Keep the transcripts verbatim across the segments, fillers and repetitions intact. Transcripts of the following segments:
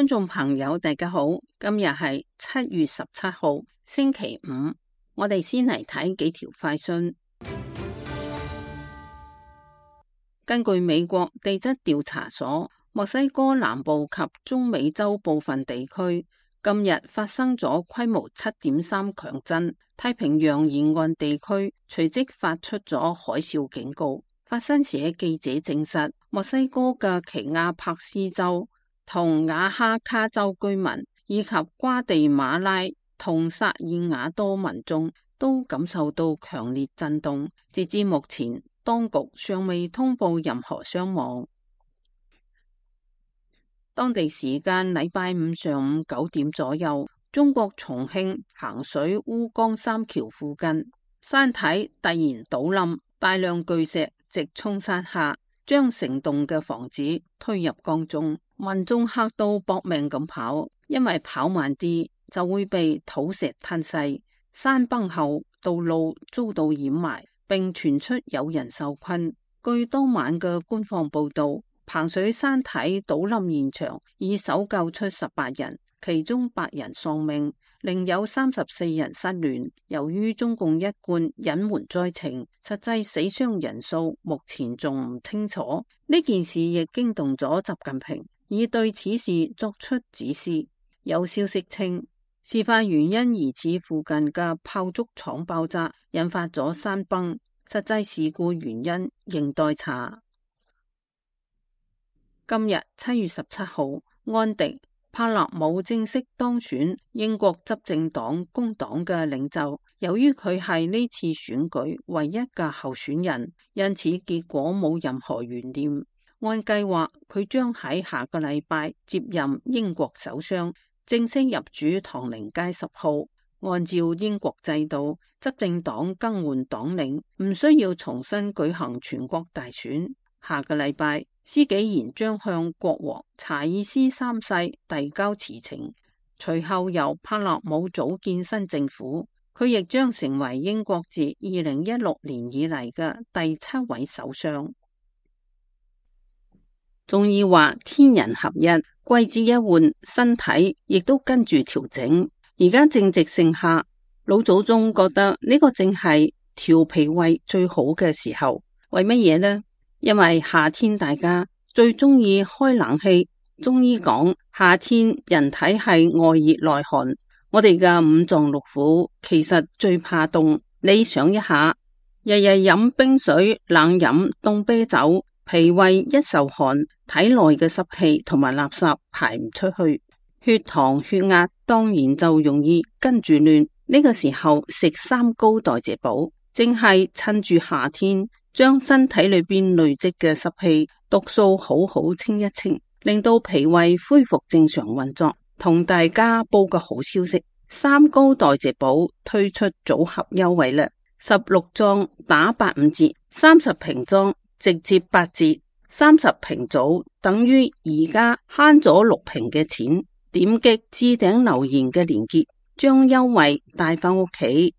觀眾朋友大家好，今日係七月十七號星期五，我哋先嚟睇幾條快訊。根據美國地質調查所，墨西哥南部及中美洲部分地區今日發生咗規模七點三強震，太平洋沿岸地區隨即發出咗海嘯警告。法新社記者證實，墨西哥嘅奇亞帕斯州同瓦哈卡州居民以及瓜地馬拉同薩爾瓦多民眾都感受到強烈震動。截至目前，當局尚未通報任何傷亡。當地時間禮拜五上午九點左右，中國重慶彭水烏江三橋附近山體突然倒冧，大量巨石直衝山下，將成棟嘅房子推入江中。民眾嚇到搏命咁跑，因為跑慢啲就會被土石吞噬。山崩後，道路遭到掩埋，並傳出有人受困。據當晚嘅官方報道，彭水山體倒冧現場已搜救出十八人，其中八人喪命，另有三十四人失聯。由於中共一貫隱瞞災情，實際死傷人數目前仲唔清楚。呢件事亦驚動咗習近平，已對此事作出指示。有消息稱，事發原因疑似附近嘅炮竹廠爆炸引發咗山崩，實際事故原因仍待查。今日七月十七號，安迪帕勒姆正式當選英國執政黨工黨嘅領袖。由於佢係呢次選舉唯一嘅候選人，因此結果冇任何懸念。按計劃，佢將喺下個禮拜接任英國首相，正式入主唐寧街十號。按照英國制度，執政黨更換黨領唔需要重新舉行全國大選。下個禮拜，施紀賢將向國王查爾斯三世遞交辭呈，隨後由帕勒姆組建新政府。佢亦將成為英國自二零一六年以嚟嘅第七位首相。中醫話天人合一，季節一換，身體亦都跟住調整。而家正值盛夏，老祖宗覺得呢個正係調脾胃最好嘅時候。為乜嘢呢？因為夏天大家最中意開冷氣。中醫講夏天人體係外熱內寒，我哋嘅五臟六腑其實最怕凍。你想一下，日日飲冰水、冷飲凍啤酒，脾胃一受寒，體內嘅濕氣同埋垃圾排唔出去，血糖血壓當然就容易跟住亂。呢個時候食三高代謝寶，正係趁住夏天將身體裏邊累積嘅濕氣毒素好好清一清，令到脾胃恢復正常運作。同大家報個好消息，三高代謝寶推出組合優惠啦，十六裝打八五折，三十瓶裝直接八折，三十瓶組等於而家慳咗六瓶嘅錢。點擊置頂留言嘅連結，將優惠帶返屋企。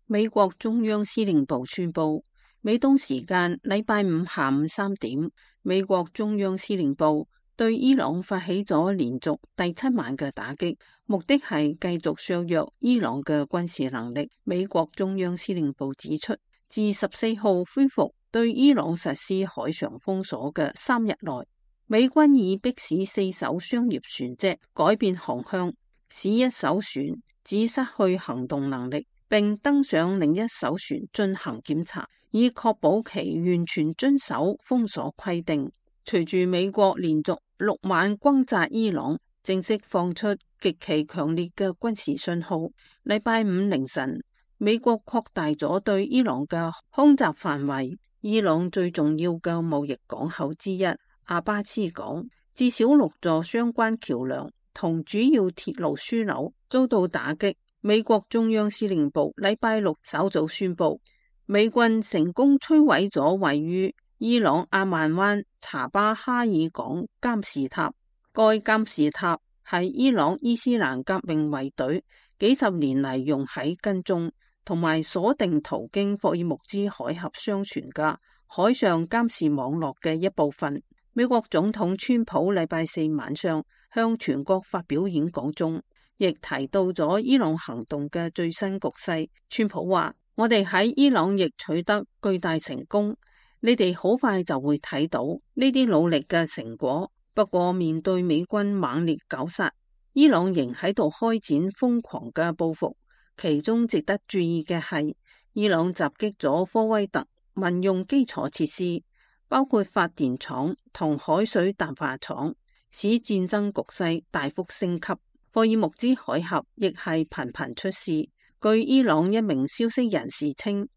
美國中央司令部宣布，美東時間禮拜五下午三點，美國中央司令部對伊朗發起咗連續第七晚嘅打擊，目的係繼續削弱伊朗嘅軍事能力。美國中央司令部指出，自十四號恢復對伊朗實施海上封鎖嘅三日內，美軍已迫使四艘商業船隻改變航向，使一艘船只失去行動能力，並登上另一艘船進行檢查，以確保其完全遵守封鎖規定。隨住美國連續六晚轟炸伊朗，正式放出極其強烈嘅軍事信號。禮拜五凌晨，美國擴大咗對伊朗嘅空襲範圍。伊朗最重要嘅貿易港口之一阿巴斯港，至少六座相關橋樑同主要鐵路樞紐遭到打擊。美國中央司令部禮拜六稍早宣布，美軍成功摧毀咗位於伊朗阿曼灣查巴哈爾港監視塔。該監視塔係伊朗伊斯蘭革命衛隊幾十年嚟用喺跟蹤同埋鎖定途經霍爾木茲海峽商船嘅海上監視網絡嘅一部分。美國總統川普禮拜四晚上向全國發表演講中，亦提到咗伊朗行動嘅最新局勢。川普話：我哋喺伊朗亦取得巨大成功，你哋好快就會睇到呢啲努力嘅成果。不過面對美軍猛烈絞殺，伊朗仍喺度開展瘋狂嘅報復。其中值得注意嘅係，伊朗襲擊咗科威特民用基礎設施，包括發電廠同海水淡化廠，使戰爭局勢大幅升級。霍爾木茲海峽亦係頻頻出事。據伊朗一名消息人士稱，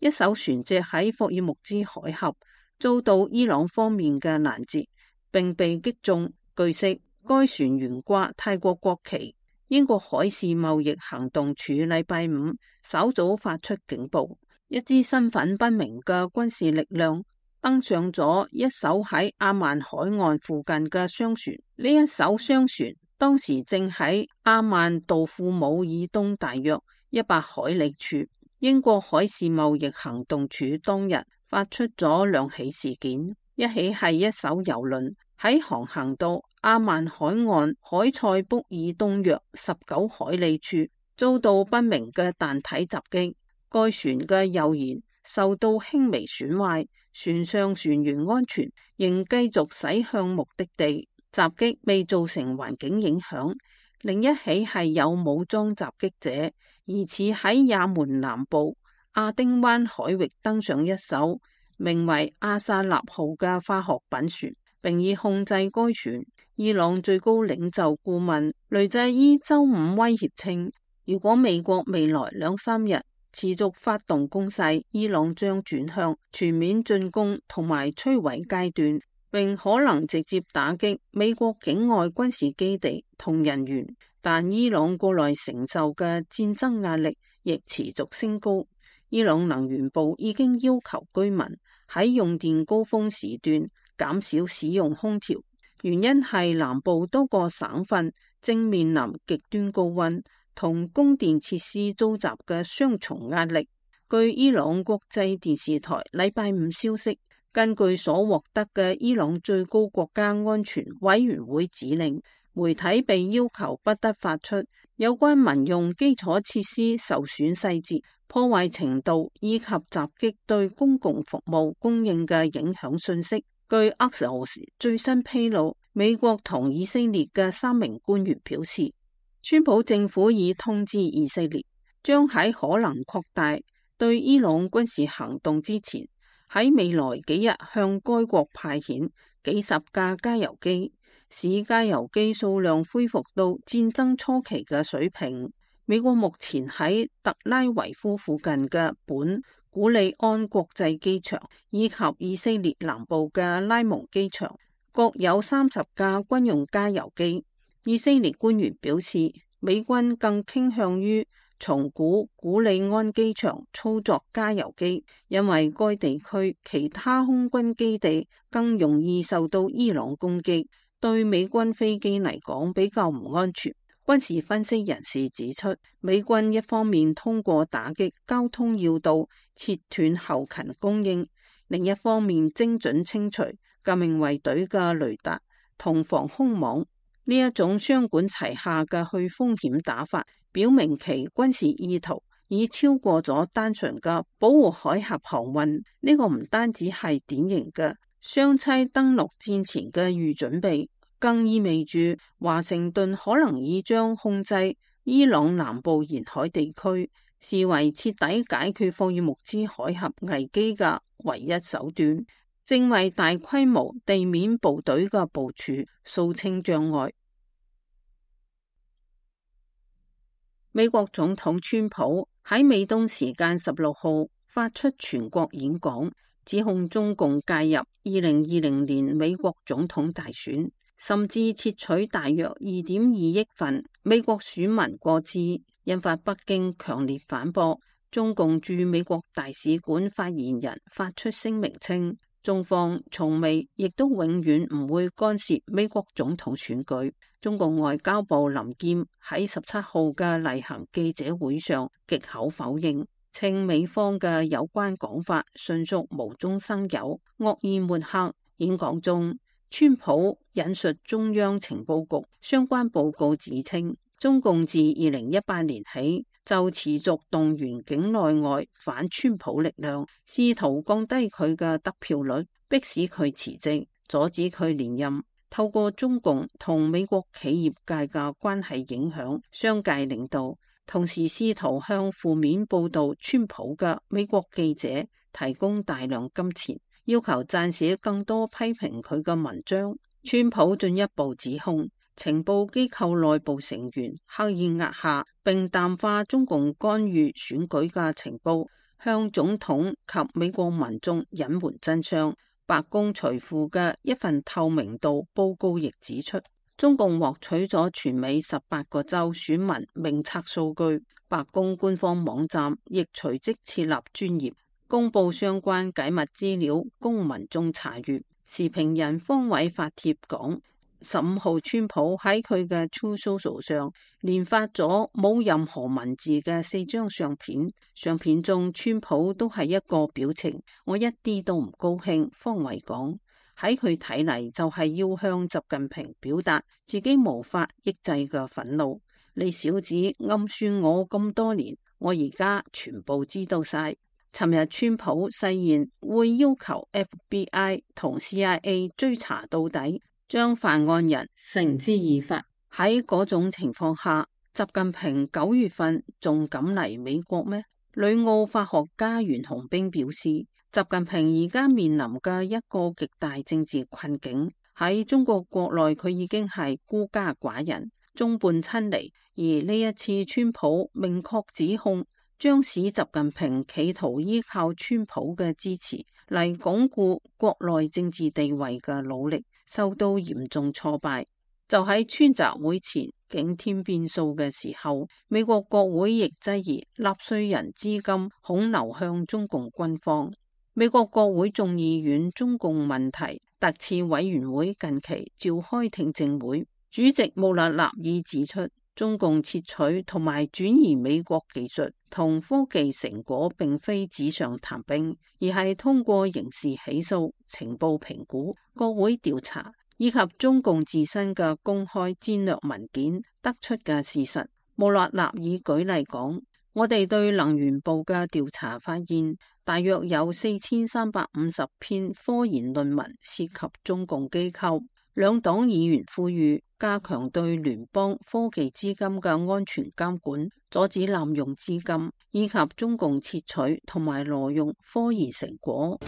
一艘船隻喺霍爾木茲海峽遭到伊朗方面嘅攔截，並被擊中。據悉，該船懸掛泰國國旗。英國海事貿易行動處禮拜五稍早發出警報，一支身份不明嘅軍事力量登上咗一艘喺阿曼海岸附近嘅商船。呢一艘商船當時正喺阿曼杜庫姆以東大約一百海里處。英國海事貿易行動處當日發出咗兩起事件，一起係一艘郵輪喺航行到阿曼海岸海塞卜以東約十九海里處遭到不明嘅彈體襲擊，該船嘅右舷受到輕微損壞，船上船員安全，仍繼續駛向目的地。襲擊未造成環境影響。另一起係有武裝襲擊者，疑似喺也門南部亞丁灣海域登上一艘名為阿薩納號嘅化學品船，並已控制該船。伊朗最高領袖顧問雷濟伊周五威脅稱，如果美國未來兩三日持續發動攻勢，伊朗將轉向全面進攻同埋摧毀階段，並可能直接打擊美國境外軍事基地同人員。但伊朗國內承受嘅戰爭壓力亦持續升高。伊朗能源部已經要求居民喺用電高峰時段減少使用空調，原因係南部多個省份正面臨極端高溫同供電設施遭襲嘅雙重壓力。據伊朗國際電視台禮拜五消息，根據所獲得嘅伊朗最高國家安全委員會指令，媒體被要求不得發出有關民用基礎設施受損細節、破壞程度以及襲擊對公共服務供應嘅影響信息。據 Axios 最新披露，美國同以色列嘅三名官員表示，川普政府已通知以色列，將喺可能擴大對伊朗軍事行動之前，喺未來幾日向該國派遣幾十架加油機，使加油機數量恢復到戰爭初期嘅水平。美國目前喺特拉維夫附近嘅本古里安國際機場以及以色列南部嘅拉蒙機場各有三十架軍用加油機。以色列官員表示，美軍更傾向於從古古里安機場操作加油機，因為該地區其他空軍基地更容易受到伊朗攻擊，對美軍飛機嚟講比較唔安全。軍事分析人士指出，美軍一方面通過打擊交通要道切斷後勤供應，另一方面精準清除革命衛隊嘅雷達同防空網。呢一種雙管齊下嘅去風險打法，表明其軍事意圖已超過咗單純嘅保護海峽航運。呢、這個唔單止係典型嘅雙棲登陸戰前嘅預準備，更意味住華盛頓可能已將控制伊朗南部沿海地區視為徹底解決霍爾木茲海峽危機嘅唯一手段，正為大規模地面部隊嘅部署掃清障礙。美國總統川普喺美東時間十六號發出全國演講，指控中共介入二零二零年美國總統大選，甚至竊取大約二點二億份美國選民個資，引發北京強烈反駁。中共駐美國大使館發言人發出聲明稱，中方從未亦都永遠唔會干涉美國總統選舉。中共外交部林劍喺十七號嘅例行記者會上極口否認。稱美方嘅有關講法純屬無中生有、惡意抹黑。演講中，川普引述中央情報局相關報告指稱，中共自二零一八年起就持續動員境內外反川普力量，試圖降低佢嘅得票率，迫使佢辭職，阻止佢連任。透過中共同美國企業界嘅關係影響商界領導，同時試圖向負面報道川普嘅美國記者提供大量金錢，要求撰寫更多批評佢嘅文章。川普進一步指控情報機構內部成員刻意壓下並淡化中共干預選舉嘅情報，向總統及美國民眾隱瞞真相。白宮隨附嘅一份透明度報告亦指出，中共獲取咗全美十八個州選民名冊數據。白宮官方網站亦隨即設立專頁，公布相關解密資料供民眾查閱。時評人方偉發帖講，十五號川普喺佢嘅 Truth Social 上連發咗冇任何文字嘅四張相片，相片中川普都係一個表情，我一啲都唔高興。方偉講，喺佢睇嚟就係要向習近平表達自己無法抑制嘅憤怒。你小子暗算我咁多年，我而家全部知道晒。尋日川普誓言會要求 F B I 同 C I A 追查到底，將犯案人繩之以法。喺嗰種情況下，習近平九月份仲敢嚟美國咩？旅澳法學家袁洪兵表示，習近平而家面臨嘅一個極大政治困境，喺中國國內佢已經係孤家寡人、眾叛親離，而呢一次川普明確指控，將使習近平企圖依靠川普嘅支持嚟鞏固國內政治地位嘅努力受到嚴重挫敗。就喺川習會前驚天變數嘅時候，美國國會亦質疑納稅人資金恐流向中共軍方。美國國會眾議院中共問題特設委員會近期召開聽證會，主席穆勒納爾指出，中共竊取同埋轉移美國技術同科技成果並非紙上談兵，而係通過刑事起訴、情報評估、國會調查以及中共自身嘅公開戰略文件得出嘅事實。穆勒納爾舉例講，我哋對能源部嘅調查發現，大約有四千三百五十篇科研論文涉及中共機構。兩黨議員呼籲加強對聯邦科技資金嘅安全監管，阻止濫用資金，以及中共竊取同埋挪用科研成果。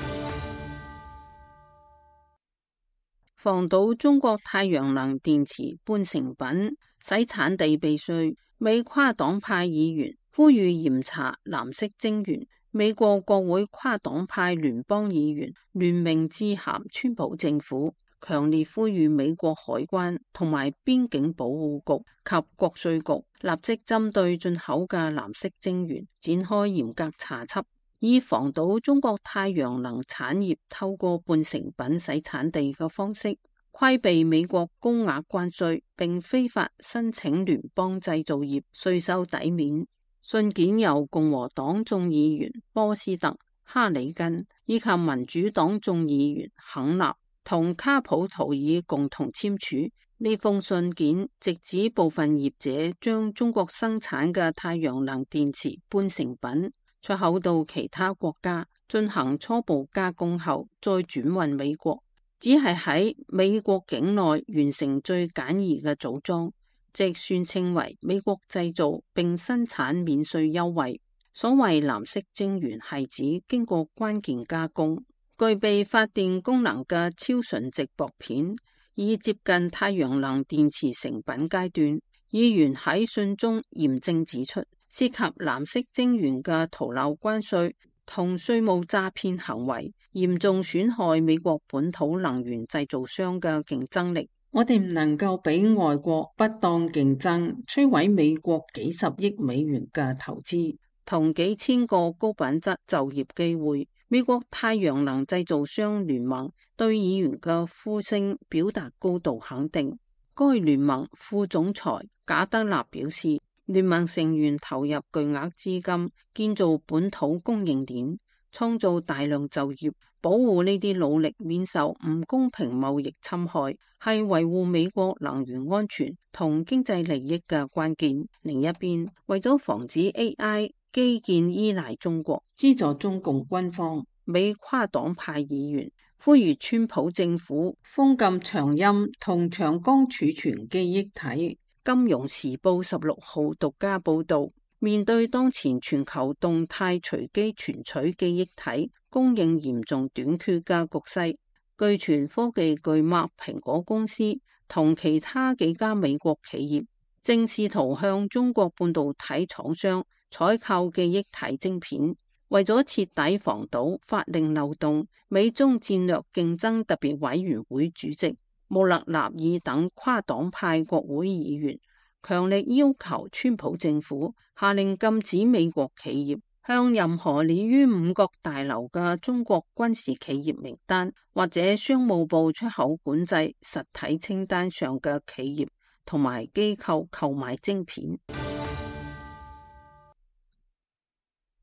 防堵中國太陽能電池半成品洗產地避稅，美跨黨派議員呼籲嚴查藍色晶圓。美國國會跨黨派聯邦議員聯名致函川普政府，強烈呼籲美國海關同埋邊境保護局及國稅局立即針對進口嘅藍色晶圓展開嚴格查緝，以防堵中國太陽能產業透過半成品洗產地嘅方式規避美國高額關稅，並非法申請聯邦製造業稅收抵免。信件由共和黨眾議員波斯特、哈里根以及民主黨眾議員肯納同卡普圖爾共同簽署。呢封信件直指部分業者將中國生產嘅太陽能電池半成品出口到其他國家進行初步加工後再轉運美國，只係喺美國境內完成最簡易嘅組裝，即宣稱為美國製造並生產免稅優惠。所謂藍色晶圓係指經過關鍵加工、具備發電功能嘅超純直薄片，已接近太陽能電池成品階段。議員喺信中嚴正指出，涉及藍色晶圓嘅逃漏關稅同稅務詐騙行為，嚴重損害美國本土能源製造商嘅競爭力。我哋唔能夠俾外國不當競爭摧毀美國幾十億美元嘅投資同幾千個高品質就業機會。美國太陽能製造商聯盟對議員嘅呼聲表達高度肯定。該聯盟副總裁賈德納表示，聯盟成員投入巨額資金建造本土供應鏈，創造大量就業，保護呢啲努力免受唔公平貿易侵害，係維護美國能源安全同經濟利益嘅關鍵。另一邊，為咗防止 A I 基建依賴中國，資助中共軍方，美跨黨派議員呼籲川普政府封禁長鑫同長江儲存記憶體。金融時報十六號獨家報道，面對當前全球動態隨機存取記憶體供應嚴重短缺嘅局勢，據傳科技巨擘蘋果公司同其他幾家美國企業正試圖向中國半導體廠商採購記憶體晶片。為咗徹底防堵法令漏洞，美中戰略競爭特別委員會主席穆勒納爾等跨黨派國會議員強力要求川普政府下令禁止美國企業向任何列於五角大樓嘅中國軍事企業名單或者商務部出口管制實體清單上嘅企業同埋機構購買晶片。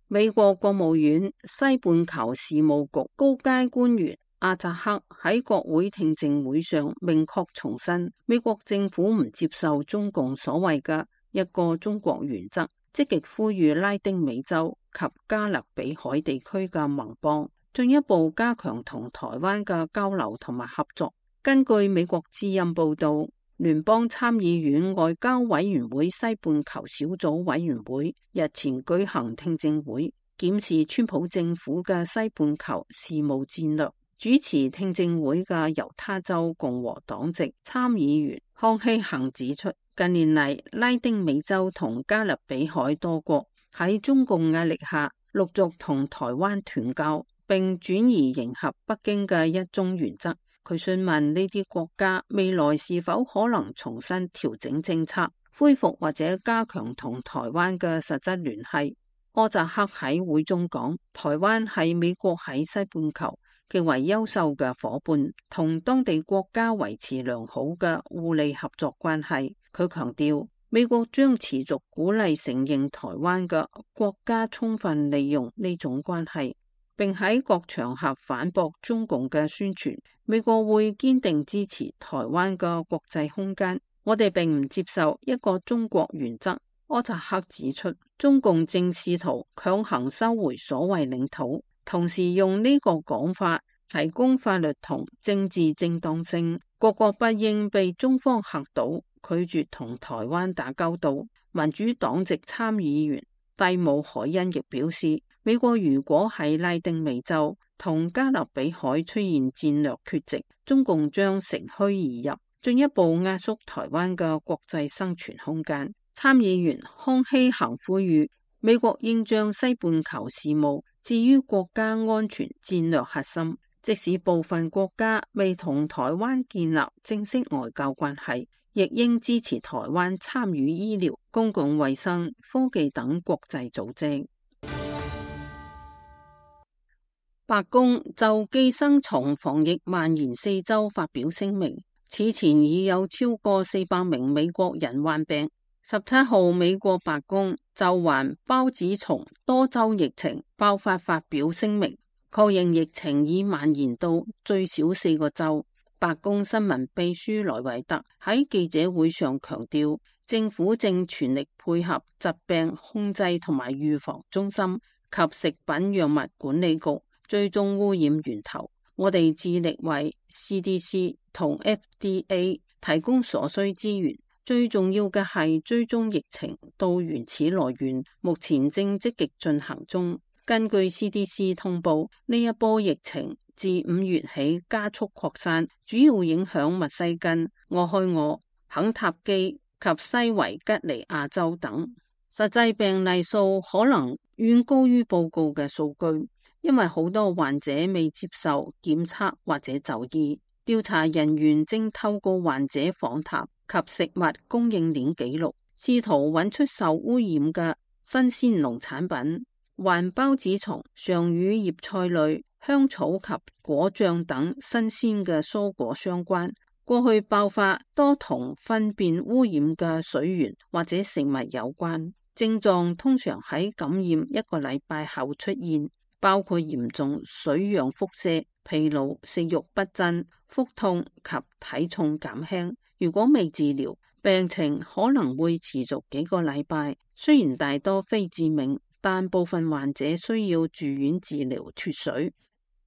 美國國務院西半球事務局高階官員阿扎克喺國會聽證會上明確重申，美國政府唔接受中共所謂嘅一個中國原則，積極呼籲拉丁美洲及加勒比海地區嘅盟邦進一步加強同台灣嘅交流同埋合作。根據美國之音報道，聯邦參議院外交委員會西半球小組委員會日前舉行聽證會，檢視川普政府嘅西半球事務戰略。主持聽證會嘅猶他州共和黨籍參議員康希恒指出，近年嚟拉丁美洲同加勒比海多國喺中共壓力下陸續同台灣斷交，並轉移迎合北京嘅一中原則。佢詢問呢啲國家未來是否可能重新調整政策，恢復或者加強同台灣嘅實質聯繫。柯扎克喺會中講，台灣係美國喺西半球極為優秀嘅夥伴，同當地國家維持良好嘅互利合作關係。佢強調，美國將持續鼓勵承認台灣嘅國家充分利用呢種關係，並喺各場合反駁中共嘅宣傳。美國會堅定支持台灣嘅國際空間，我哋並唔接受一個中國原則。柯扎克指出，中共正試圖強行收回所謂領土，同時用呢個講法提供法律同政治正當性。各國不應被中方嚇倒，拒絕同台灣打交道。民主黨籍參議員蒂姆海恩亦表示，美國如果喺拉丁美洲同加勒比海出現戰略缺席，中共將乘虛而入，進一步壓縮台灣嘅國際生存空間。參議員康希恒呼籲美國應將西半球事務置於國家安全戰略核心，即使部分國家未同台灣建立正式外交關係，亦應支持台灣參與醫療、公共衛生、科技等國際組織。白宮就寄生蟲防疫蔓延四周發表聲明，此前已有超過四百名美國人患病。十七號，美國白宮就患孢子蟲多州疫情爆發發表聲明，確認疫情已蔓延到最少四個州。白宮新聞秘書萊維特喺記者會上強調，政府正全力配合疾病控制同埋預防中心及食品藥物管理局追蹤污染源頭。我哋致力為 C D C 同 F D A 提供所需資源，最重要嘅係追蹤疫情到原始來源，目前正積極進行中。根據 C D C 通報，呢一波疫情自五月起加速擴散，主要影響密西根、俄亥俄、肯塔基及西維吉尼亞州等。實際病例數可能遠高於報告嘅數據，因為好多患者未接受檢測或者就醫。調查人員正透過患者訪談及食物供應鏈記錄，試圖揾出受污染嘅新鮮農產品。患孢子蟲常與葉菜類、香草及果醬等新鮮嘅蔬果相關。過去爆發多同糞便污染嘅水源或者食物有關，症狀通常喺感染一個禮拜後出現，包括嚴重水樣腹瀉、疲勞、食慾不振、腹痛及體重減輕。如果未治療，病情可能會持續幾個禮拜。雖然大多非致命，但部分患者需要住院治療脫水。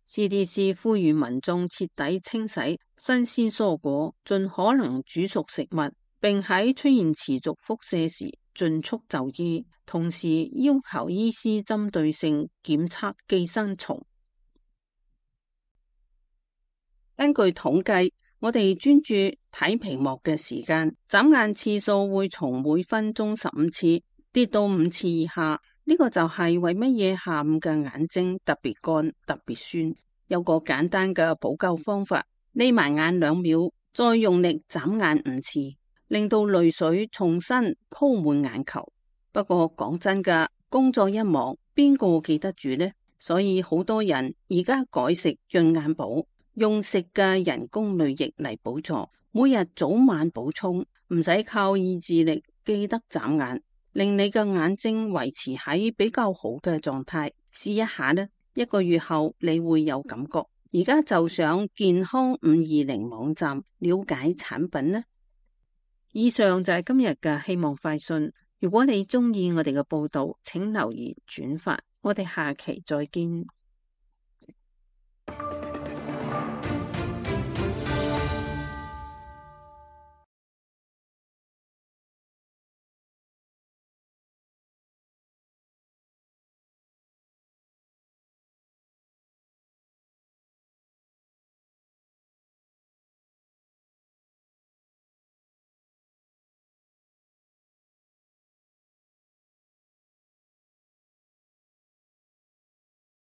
C D C 呼籲民眾徹底清洗新鮮蔬果，盡可能煮熟食物，並喺出現持續腹瀉時盡速就醫，同時要求醫師針對性檢測寄生蟲。根據統計，我哋專注睇屏幕嘅時間，眨眼次數會從每分鐘十五次跌到五次以下。呢個就係為乜嘢下午嘅眼睛特別乾、特別酸。有個簡單嘅補救方法，眯埋眼兩秒，再用力眨眼五次，令到淚水重新鋪滿眼球。不過講真㗎，工作一忙，邊個記得住呢？所以好多人而家改食潤眼寶，用食嘅人工淚液嚟補助，每日早晚補充，唔使靠意志力記得眨眼，令你嘅眼睛維持喺比較好嘅狀態。試一下呢，一個月後你會有感覺。而家就上健康五二零網站了解產品呢。以上就係今日嘅希望快訊。如果你中意我哋嘅報道，請留言轉發。我哋下期再見。